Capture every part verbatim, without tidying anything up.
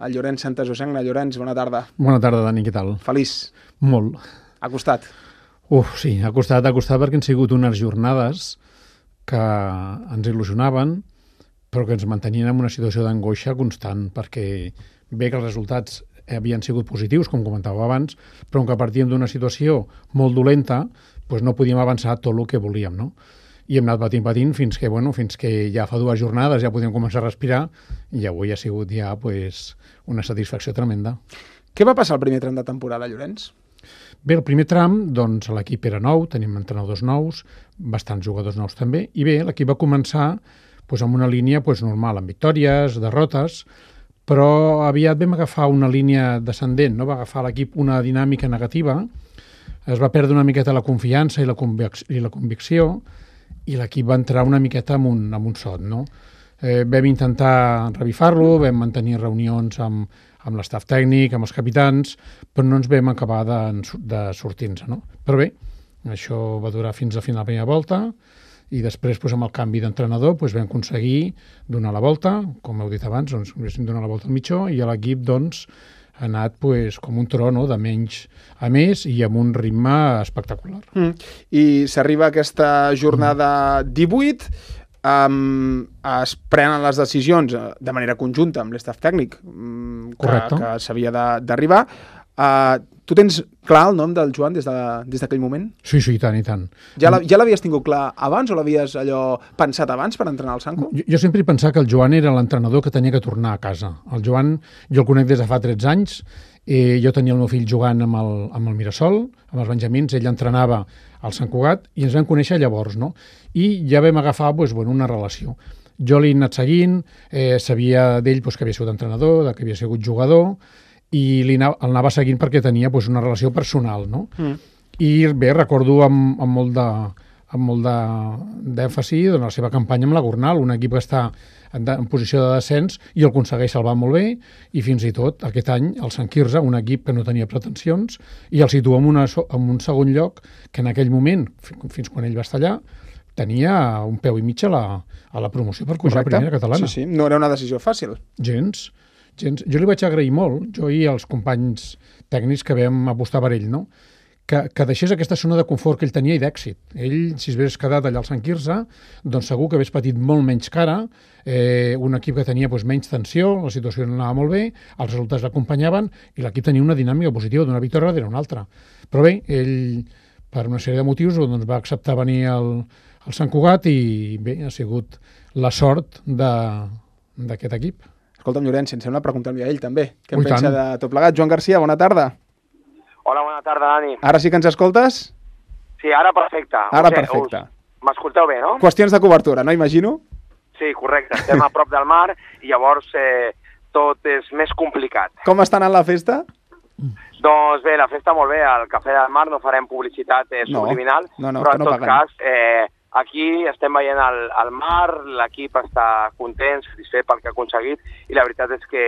el Llorenç Santasusagna. Llorenç, bona tarda. Bona tarda, Dani, què tal? Feliç. Molt. Ha costat. Uf, sí, ha costat, ha costat perquè han sigut unes jornades que ens il·lusionaven, però que ens mantenien en una situació d'angoixa constant, perquè bé que els resultats havien sigut positius, com comentava abans, però que partíem d'una situació molt dolenta, doncs no podíem avançar tot el que volíem, no? I hem anat patint, patint, fins que, bueno, fins que ja fa dues jornades ja podíem començar a respirar i avui ha sigut ja pues, una satisfacció tremenda. Què va passar al primer tram de temporada, Llorenç? Bé, el primer tram, doncs, l'equip era nou, tenim entrenadors nous, bastants jugadors nous també, i bé, l'equip va començar doncs, amb una línia doncs, normal, amb victòries, derrotes, però aviat vam agafar una línia descendent, no? Va agafar l'equip una dinàmica negativa, es va perdre una miqueta la confiança i la, convic i la convicció, i l'equip va entrar una miqueta amb un, amb un sot, no? Eh, vam intentar revifar-lo, vam mantenir reunions amb, amb l'estaf tècnic, amb els capitans, però no ens vam acabar de, de sortir-nos, no? Però bé, això va durar fins a final de la primera volta, i després, doncs, amb el canvi d'entrenador, doncs, vam aconseguir donar la volta, com heu dit abans, doncs, vam donar la volta al mitjó, i l'equip, doncs, ha anat pues, com un tro, no? De menys a més i amb un ritme espectacular. Mm. I s'arriba a aquesta jornada divuit, um, es prenen les decisions de manera conjunta amb l'estaf tècnic um, que, que s'havia d'arribar. Uh, tu tens clar el nom del Joan des d'aquell de, moment? Sí, sí, i tant, i tant. Ja l'havies tingut clar abans o l'havies allò pensat abans per entrenar al Sanco? Jo, jo sempre he pensat que el Joan era l'entrenador que tenia que tornar a casa. El Joan, jo el conec des de fa tretze anys, eh, jo tenia el meu fill jugant amb el, amb el Mirasol, amb els benjamins, ell entrenava al Sant Cugat i ens vam conèixer llavors, no? I ja vam agafar doncs, bueno, una relació. Jo l'he anat seguint, eh, sabia d'ell doncs, que havia sigut entrenador, que havia sigut jugador, i el anava seguint perquè tenia doncs, una relació personal, no? Mm. I bé, recordo amb, amb molt de amb molt d'èmfasi doncs, la seva campanya amb la Gornal, un equip que està en, en posició de descens i el aconsegueix salvar molt bé, i fins i tot aquest any el Sant Quirze, un equip que no tenia pretensions, i el situa en, una, en un segon lloc que en aquell moment, fins quan ell va estar allà, tenia un peu i mig a la, a la promoció per pujar a primera catalana. Sí, sí, no era una decisió fàcil. Gens. Gens. Jo li vaig agrair molt, jo i els companys tècnics que vam apostar per ell, no? que, que deixés aquesta zona de confort que ell tenia i d'èxit. Ell, si es hagués quedat allà al Sant Quirze, doncs segur que hagués patit molt menys cara, eh, un equip que tenia doncs, menys tensió, la situació no anava molt bé, els resultats l'acompanyaven i l'equip tenia una dinàmica positiva d'una victòria darrere una altra. Però bé, ell, per una sèrie de motius, doncs, va acceptar venir al, al Sant Cugat i bé, ha sigut la sort d'aquest equip. Escolta'm, Llorenç, em sembla preguntar-li a ell també. Què en pensa de tot plegat? Joan Garcia, bona tarda. Hola, bona tarda, Dani. Ara sí que ens escoltes? Sí, ara perfecte. Ara perfecte. M'escolteu bé, no? Qüestions de cobertura, no imagino? Sí, correcte. Estem a prop del mar i llavors eh, tot és més complicat. Com està anant la festa? Doncs bé, la festa molt bé. Al Cafè del Mar no farem publicitat eh, subliminal, no, no, no, però en no tot paguen. cas... Eh, Aquí estem veient el, el mar, l'equip està content, satisfet pel que ha aconseguit i la veritat és que,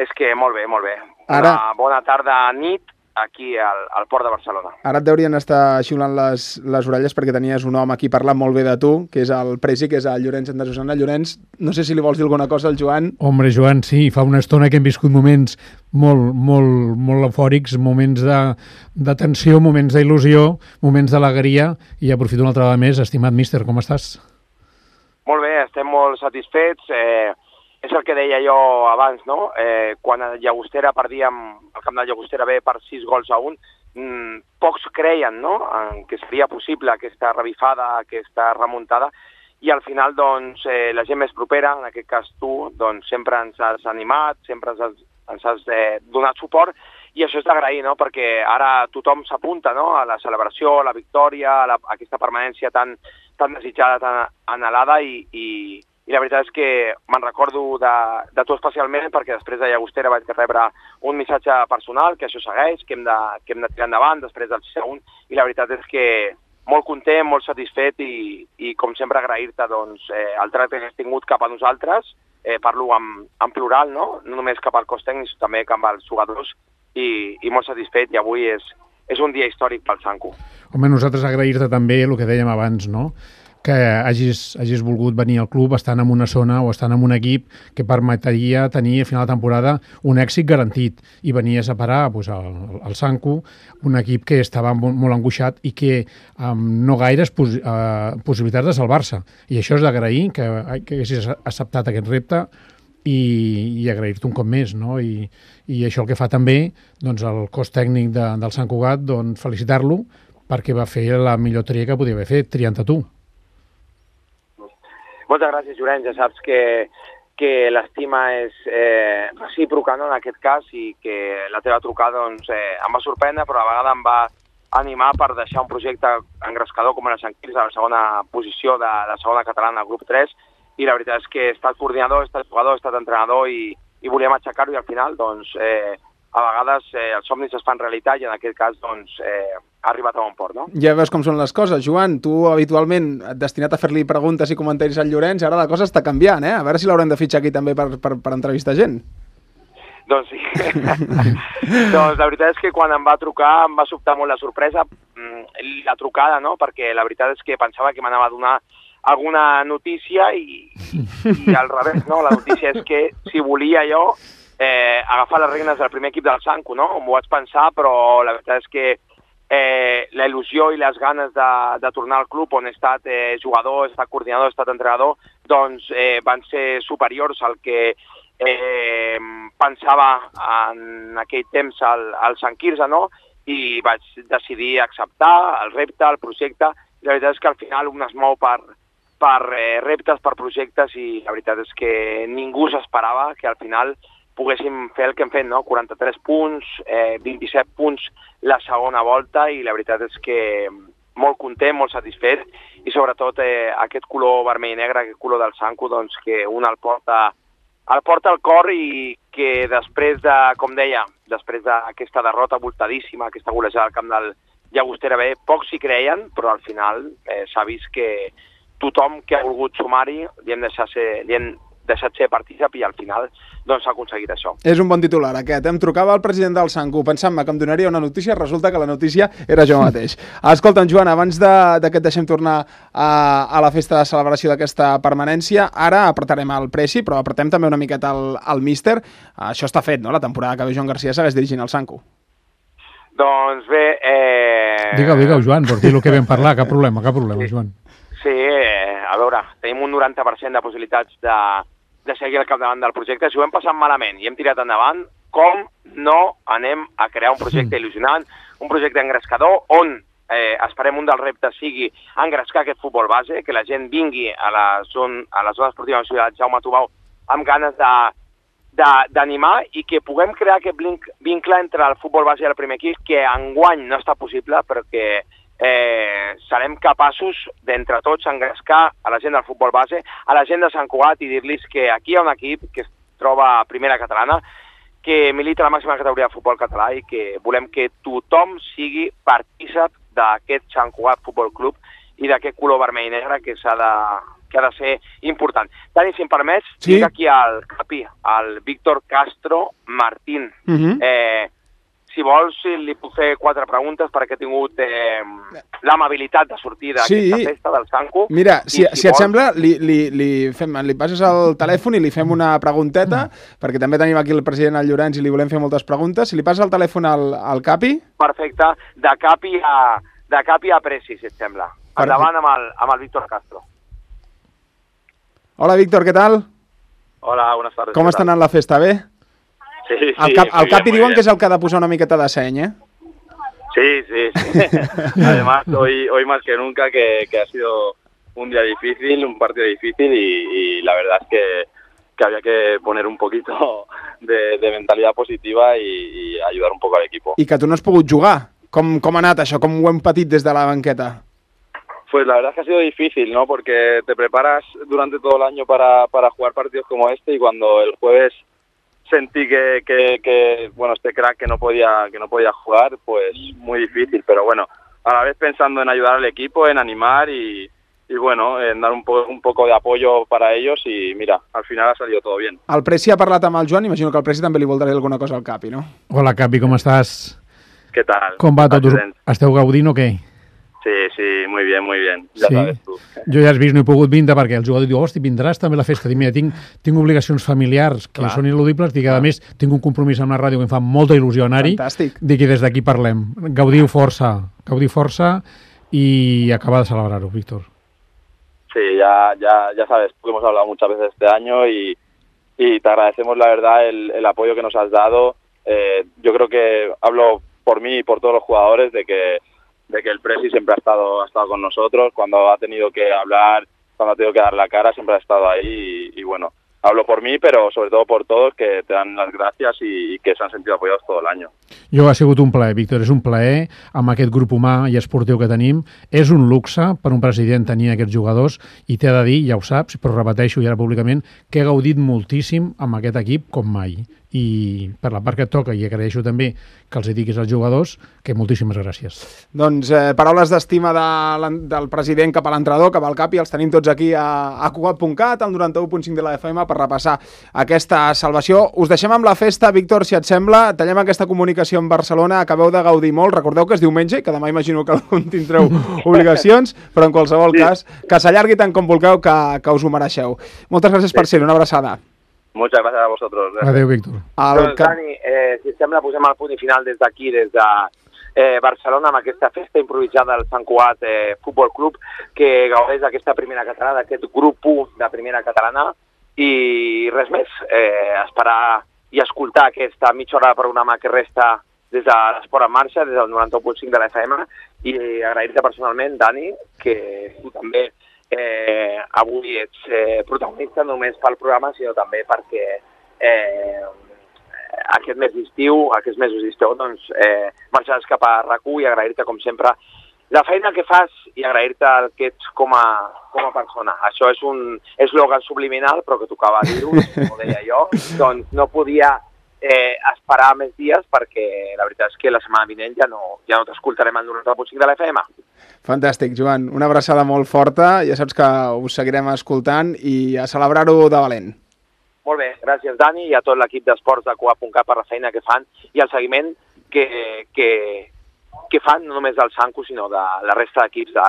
és que molt bé, molt bé. Ara... Una bona tarda, nit, aquí al, al Port de Barcelona. Ara et deurien estar xiulant les, les orelles perquè tenies un home aquí parlant molt bé de tu, que és el Presi, que és el Llorenç Santasusagna. Llorenç, no sé si li vols dir alguna cosa al Joan. Hombre, Joan, sí, fa una estona que hem viscut moments molt, molt, molt eufòrics, moments de, de tensió, moments d'il·lusió, moments d'alegria, i aprofito una altra vegada més. Estimat míster, com estàs? Molt bé, estem molt satisfets. Eh, és el que deia jo abans, no? Eh, quan a Llagostera perdíem, el camp de Llagostera bé per sis gols a un, mmm, pocs creien, no?, en que seria possible aquesta revifada, aquesta remuntada, i al final, doncs, eh, la gent més propera, en aquest cas tu, doncs sempre ens has animat, sempre ens has, ens has eh, donat suport, i això és d'agrair, no?, perquè ara tothom s'apunta, no?, a la celebració, a la victòria, a, la, a aquesta permanència tan, tan desitjada, tan anhelada, i, i, i la veritat és que me'n recordo de, de tu especialment, perquè després de Llagostera vaig rebre un missatge personal, que això segueix, que hem de, que hem de tirar endavant després del sis a un, i la veritat és que molt content, molt satisfet i, i com sempre agrair-te doncs, eh, el tracte que has tingut cap a nosaltres, eh, parlo en, en plural, no? No només cap al cos tècnic, sinó també cap als jugadors, i, i molt satisfet, i avui és, és un dia històric pel Sanco. Home, nosaltres agrair-te també el que dèiem abans, no?, que hagis, hagis volgut venir al club estant en una zona o estant en un equip que permetria tenir a final de temporada un èxit garantit, i venies a parar pues, al, al Sanku, un equip que estava molt, molt angoixat i que amb no gaires pos, uh, possibilitats de salvar-se. I això és d'agrair, que, que haguessis acceptat aquest repte i, i agrair-te un cop més, no? I, i això el que fa també doncs, el cos tècnic de, del Sant Cugat, doncs, felicitar-lo perquè va fer la millor tria que podia haver fet, triant a tu. Moltes gràcies, Llorenç. Ja saps que, que l'estima és eh, recíproca, no, en aquest cas, i que la teva trucada doncs, eh, em va sorprendre, però a vegades em va animar per deixar un projecte engrescador com era Sant Quirze, a la segona posició de la segona catalana, grup tres, i la veritat és que he estat coordinador, he estat jugador, he estat entrenador i, i volíem aixecar-ho, i al final, doncs, eh, a vegades eh, els somnis es fan realitat i en aquest cas, doncs, eh, ha arribat a bon port, no? Ja veus com són les coses. Joan, tu habitualment destinat a fer-li preguntes i comentaris al Llorenç, ara la cosa està canviant, eh? A veure si l'haurem de fitxar aquí també per, per, per entrevistar gent. Doncs sí. Doncs la veritat és que quan em va trucar em va sobtar molt la sorpresa, la trucada, no? Perquè la veritat és que pensava que m'anava a donar alguna notícia i, i al revés, no? La notícia és que si volia jo eh, agafar les regnes del primer equip del Sanku, no? M'ho vaig pensar, però la veritat és que eh, la il·lusió i les ganes de, de tornar al club on he estat eh, jugador, he estat coordinador, he estat entrenador, doncs eh, van ser superiors al que eh, pensava en aquell temps al, al Sant Quirze, no? I vaig decidir acceptar el repte, el projecte, i la veritat és que al final un es mou per, per eh, reptes, per projectes, i la veritat és que ningú s'esperava que al final poguéssim fer el que hem fet, no? quaranta-tres punts, eh, vint-i-set punts la segona volta, i la veritat és que molt content, molt satisfet, i sobretot eh, aquest color vermell i negre, aquest color del Sanku, doncs que un el porta, el porta al cor, i que després de, com deia, després d'aquesta derrota voltadíssima, aquesta golejada al camp del Llagostera B, pocs s'hi creien, però al final eh, s'ha vist que tothom que ha volgut sumar-hi li hem deixat ser, li hem deixat ser partícip, i al final doncs s'ha aconseguit això. És un bon titular aquest. Em trucava el president del Sanku pensant-me que em donaria una notícia, resulta que la notícia era jo mateix. Escolta'm, Joan, abans de, de que et deixem tornar a, a la festa de celebració d'aquesta permanència, ara apretarem el Preci, però apretem també una miqueta el, el míster. Això està fet, no? La temporada que ve Joan Garcia segueix dirigint el Sanku. Doncs bé... Eh... Digue-ho, digue-ho, Joan, per dir el que vam parlar, cap problema, cap problema, sí. Joan. Sí, eh, a veure, tenim un noranta per cent de possibilitats de de seguir al capdavant del projecte. Si ho hem passat malament i hem tirat endavant, com no anem a crear un projecte il·lusionant, un projecte engrescador, on eh, esperem un dels reptes sigui engrescar aquest futbol base, que la gent vingui a la zona, a la zona esportiva de la ciutat Jaume Tubau amb ganes de, de, d'animar, i que puguem crear aquest vincle entre el futbol base i el primer equip, que enguany no està possible, perquè Eh, serem capaços d'entre tots engrescar a la gent del futbol base, a la gent de Sant Cugat, i dir-los que aquí hi ha un equip que es troba a primera catalana, que milita a la màxima categoria de futbol català, i que volem que tothom sigui partícip d'aquest Sant Cugat Futbol Club i d'aquest color vermell i negre que s'ha de, que ha de ser important. Dani, si em permets, sí. Tinc aquí al capi, el Víctor Castro Martín. Uh-huh. eh, Si vols, li puc fer quatre preguntes perquè he tingut eh, l'amabilitat de sortir d'aquesta sí. festa del Sanku. Mira, si, si, si et vols... sembla, li, li, li, fem, li passes el telèfon i li fem una pregunteta, mm. perquè també tenim aquí el president, el Llorenç, i li volem fer moltes preguntes. Si li passes el telèfon al, al Capi... Perfecte. De Capi a, de Capi a Preci, si et sembla. Perfecte. Endavant amb el, amb el Víctor Castro. Hola, Víctor, què tal? Hola, buenas tardes. Com està anant la festa, bé? Sí, sí, el cap, el Capi bien, diuen que és el que ha de posar una miqueta de seny, ¿eh? Sí, sí, sí. Además, hoy, hoy más que nunca que, que ha sido un día difícil, un partido difícil, y, y la verdad es que, que había que poner un poquito de, de mentalidad positiva y, y ayudar un poco al equipo. I que tu no has pogut jugar. Com, com ha anat això? Com ho hem patit des de la banqueta? Pues la verdad es que ha sido difícil, ¿no? Porque te preparas durante todo el año para, para jugar partidos como este, y cuando el jueves sentí que, que, que bueno, este crack que no podía que no podía jugar, pues muy difícil, pero bueno, a la vez pensando en ayudar al equipo, en animar y, y bueno, en dar un, po un poco de apoyo para ellos, y mira, al final ha salido todo bien. El Preci ha parlat amb el Joan, imagino que el Preci també li voldrà dir alguna cosa al Capi, no? Hola, Capi, com estàs? Què tal? Com va tot? Esteu gaudint o què? Sí, sí, muy bien, muy bien. Ja sí. sabes tu. Jo ja has vist, no he pogut vindre perquè el jugador diu, hosti, vindràs també a la festa. Dic, mira, tinc, tinc obligacions familiars que Clar. són ineludibles, dic, a més, tinc un compromís amb la ràdio que em fa molta il·lusió anar-hi. Fantàstic. Dic, i des d'aquí parlem. Gaudiu força, gaudiu força y acabar de celebrarlo, Víctor. Sí, ya, ya, ya sabes, hemos hablado muchas veces este año y, y te agradecemos la verdad el, el apoyo que nos has dado. Eh, yo creo que hablo por mí y por todos los jugadores de que de que el Presi siempre ha estado ha estado con nosotros cuando ha tenido que hablar, cuando ha tenido que dar la cara, siempre ha estado ahí y, y bueno, hablo por mí, pero sobre todo por todos que te dan las gracias y, y que se han sentido apoyados todo el año. Jo ha sigut un plaer, Víctor, és un plaer amb aquest grup humà i esportiu que tenim. És un luxe per un president tenir aquests jugadors i t'he de dir, ja ho saps, però repeteixo ja públicament, que he gaudit moltíssim amb aquest equip com mai. I per la part que et toca, i agraeixo també que els hi diguis als jugadors, que moltíssimes gràcies. Doncs eh, paraules d'estima de, del president cap a l'entrenador, cap al cap, i els tenim tots aquí a, a Cugat punt cat, al noranta-u punt cinc de la F M, per repassar aquesta salvació. Us deixem amb la festa, Víctor, si et sembla. Tallem aquesta comunicació amb Barcelona, acabeu de gaudir molt. Recordeu que és diumenge, que demà imagino que algun tindreu obligacions, però en qualsevol sí. cas, que s'allargui tant com vulgueu, que, que us ho mereixeu. Moltes gràcies sí. per ser-hi, una abraçada. Muchas gracias a vosotros. Gracias. Adéu, Víctor. Doncs, Dani, eh, si sembla, posem el punt i final des d'aquí, des de eh, Barcelona, amb aquesta festa improvisada del Sant Cugat eh, Futbol Club, que gaudeix d'aquesta primera catalana, d'aquest grup u de primera catalana, i res més, eh, esperar i escoltar aquesta mitja hora de programa que resta des de l'Esport en Marxa, des del noranta-u punt cinc de la F M, i agrair-te personalment, Dani, que tu també Eh, avui ets eh, protagonista no només pel programa, sinó també perquè eh, aquest mes d'estiu, aquests mesos d'estiu, doncs eh, marxaràs cap a RAC u i agrair-te, com sempre, la feina que fas i agrair-te el que ets com a, com a persona. Això és un eslògan subliminal, però que tocava dir-ho, com ho deia jo, doncs no podia eh, esperar més dies perquè la veritat és que la setmana vinent ja no, ja no t'escoltarem al noranta punt cinc de la F M. Fantàstic, Joan. Una abraçada molt forta. Ja saps que us seguirem escoltant i a celebrar-ho de valent. Molt bé, gràcies, Dani, i a tot l'equip d'esports de Cugat punt cat per la feina que fan i el seguiment que, que, que fan no només del Sanco, sinó de la resta d'equips de,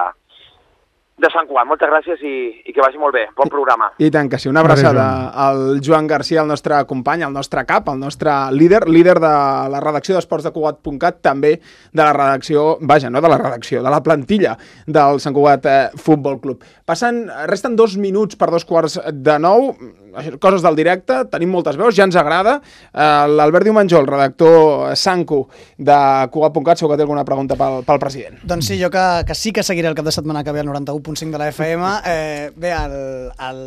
de Sant Cugat. Moltes gràcies i, i que vagi molt bé. Bon programa. I tant que sí. Una abraçada al Joan Garcia, el nostre company, el nostre cap, el nostre líder, líder de la redacció d'Esports de Cugat punt cat, també de la redacció, vaja, no de la redacció, de la plantilla del Sant Cugat eh, Futbol Club. Passen, resten dos minuts per dos quarts de nou, coses del directe, tenim moltes veus, ja ens agrada. Eh, L'Albert Diumenjol, redactor Sanco de Cugat punt cat, segur que té alguna pregunta pel, pel president. Doncs sí, jo que, que sí que seguiré el cap de setmana que ve al noranta-u punt cinc de la F M. Eh, bé, el, el,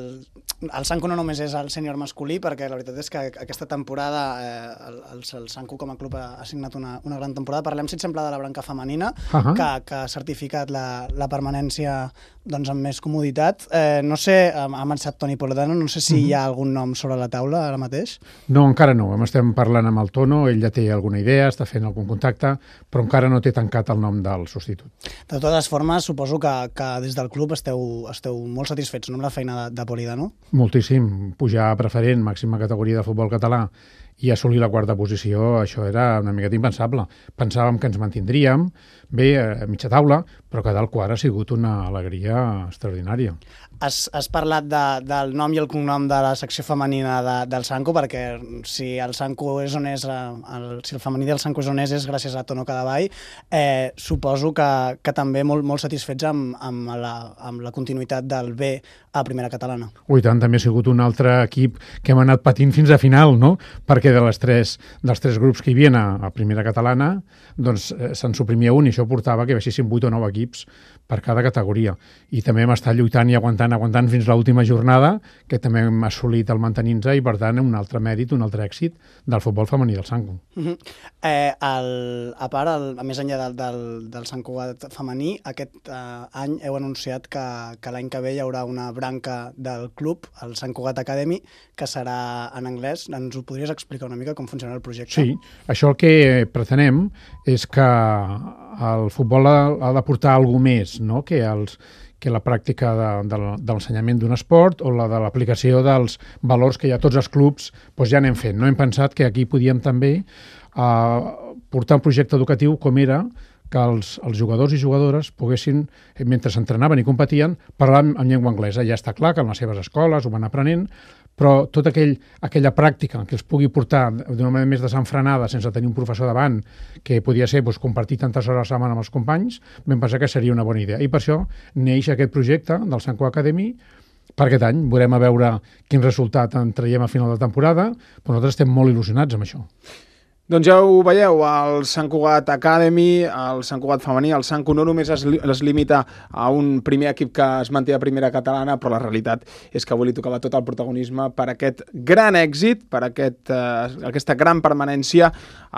el Sanco no només és el sènior masculí, perquè la veritat és que aquesta temporada eh, el, el, el Sanco com a club ha, ha signat una, una gran temporada. Parlem, si et sembla, de la branca femenina, uh-huh. que, que ha certificat la, la permanència doncs, amb més comoditat. Eh, no sé, ha marxat Toni Poledano, no sé si uh-huh. hi ha algun nom sobre la taula ara mateix. No, encara no. Estem parlant amb el Tono, ell ja té alguna idea, està fent algun contacte, però encara no té tancat el nom del substitut. De totes formes, suposo que, que des del club esteu, esteu molt satisfets, no, amb la feina de, de Poledano? Moltíssim. Pujar a preferent, màxima categoria de futbol català, i assolir la quarta posició, això era una miqueta impensable. Pensàvem que ens mantindríem bé a mitja taula, però quedar al quart ha sigut una alegria extraordinària. Has, has parlat de, del nom i el cognom de la secció femenina de, del Sanco, perquè si el Sanco és on és, el, si el femení del Sanco és on és, és gràcies a Tono Cadavall. Eh, suposo que, que també molt, molt satisfets amb, amb, la, amb la continuïtat del B a primera catalana. Ui, tant, també ha sigut un altre equip que hem anat patint fins a final, no? Perquè de les tres, dels tres grups que hi havia a, a primera catalana, doncs eh, se'n suprimia un i això portava que baixessin vuit o nou equips per cada categoria. I també hem estat lluitant i aguantant, aguantant fins l'última jornada, que també hem assolit el mantenir-nos i, per tant, un altre mèrit, un altre èxit del futbol femení del Sanco. Uh-huh. eh, el, a part, el, a més enllà del, del, del Sant Cugat femení, aquest eh, any heu anunciat que, que l'any que ve hi haurà una branca del club, el Sant Cugat Academy, que serà en anglès. Ens ho podries explicar una mica com funciona el projecte? Sí, això el que pretenem és que el futbol ha, ha de portar alguna més, no? que, els, que la pràctica de, de, de l'ensenyament d'un esport o la de l'aplicació dels valors que ja tots els clubs doncs ja anem fent. No hem pensat que aquí podíem també eh, portar un projecte educatiu com era que els, els jugadors i jugadores poguessin, mentre s'entrenaven i competien, parlar en, en llengua anglesa. Ja està clar que en les seves escoles ho van aprenent, però tota aquell, aquella pràctica que els pugui portar d'una manera més desenfrenada, sense tenir un professor davant, que podia ser doncs, compartir tantes hores a la setmana amb els companys, vam pensar que seria una bona idea. I per això neix aquest projecte del Sant Cugat Academy per aquest any. Veurem a veure quin resultat en traiem a final de temporada, però nosaltres estem molt il·lusionats amb això. Doncs ja ho veieu, el Sant Cugat Academy, el Sant Cugat femení, el Sant Cugat no només es, li es limita a un primer equip que es manté a primera catalana, però la realitat és que avui li tocava tot el protagonisme per aquest gran èxit, per aquest, eh, aquesta gran permanència.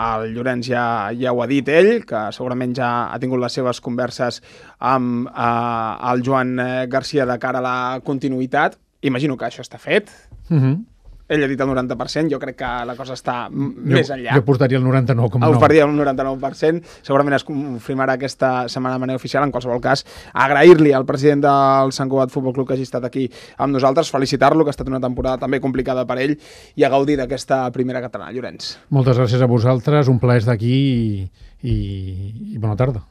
El Llorenç ja, ja ho ha dit ell, que segurament ja ha tingut les seves converses amb eh, el Joan Garcia de cara a la continuïtat. Imagino que això està fet. Mhm. Ell ha dit el noranta per cent, jo crec que la cosa està jo, més enllà. Jo portaria el noranta-nou coma nou. Ho faria el noranta-nou per cent. Segurament es confirmarà aquesta setmana de manera oficial. En qualsevol cas, agrair-li al president del Sant Cugat Futbol Club que hagi estat aquí amb nosaltres, felicitar-lo, que ha estat una temporada també complicada per ell, i a gaudir d'aquesta primera catalana. Llorenç. Moltes gràcies a vosaltres, un plaer estar aquí i, i, i bona tarda.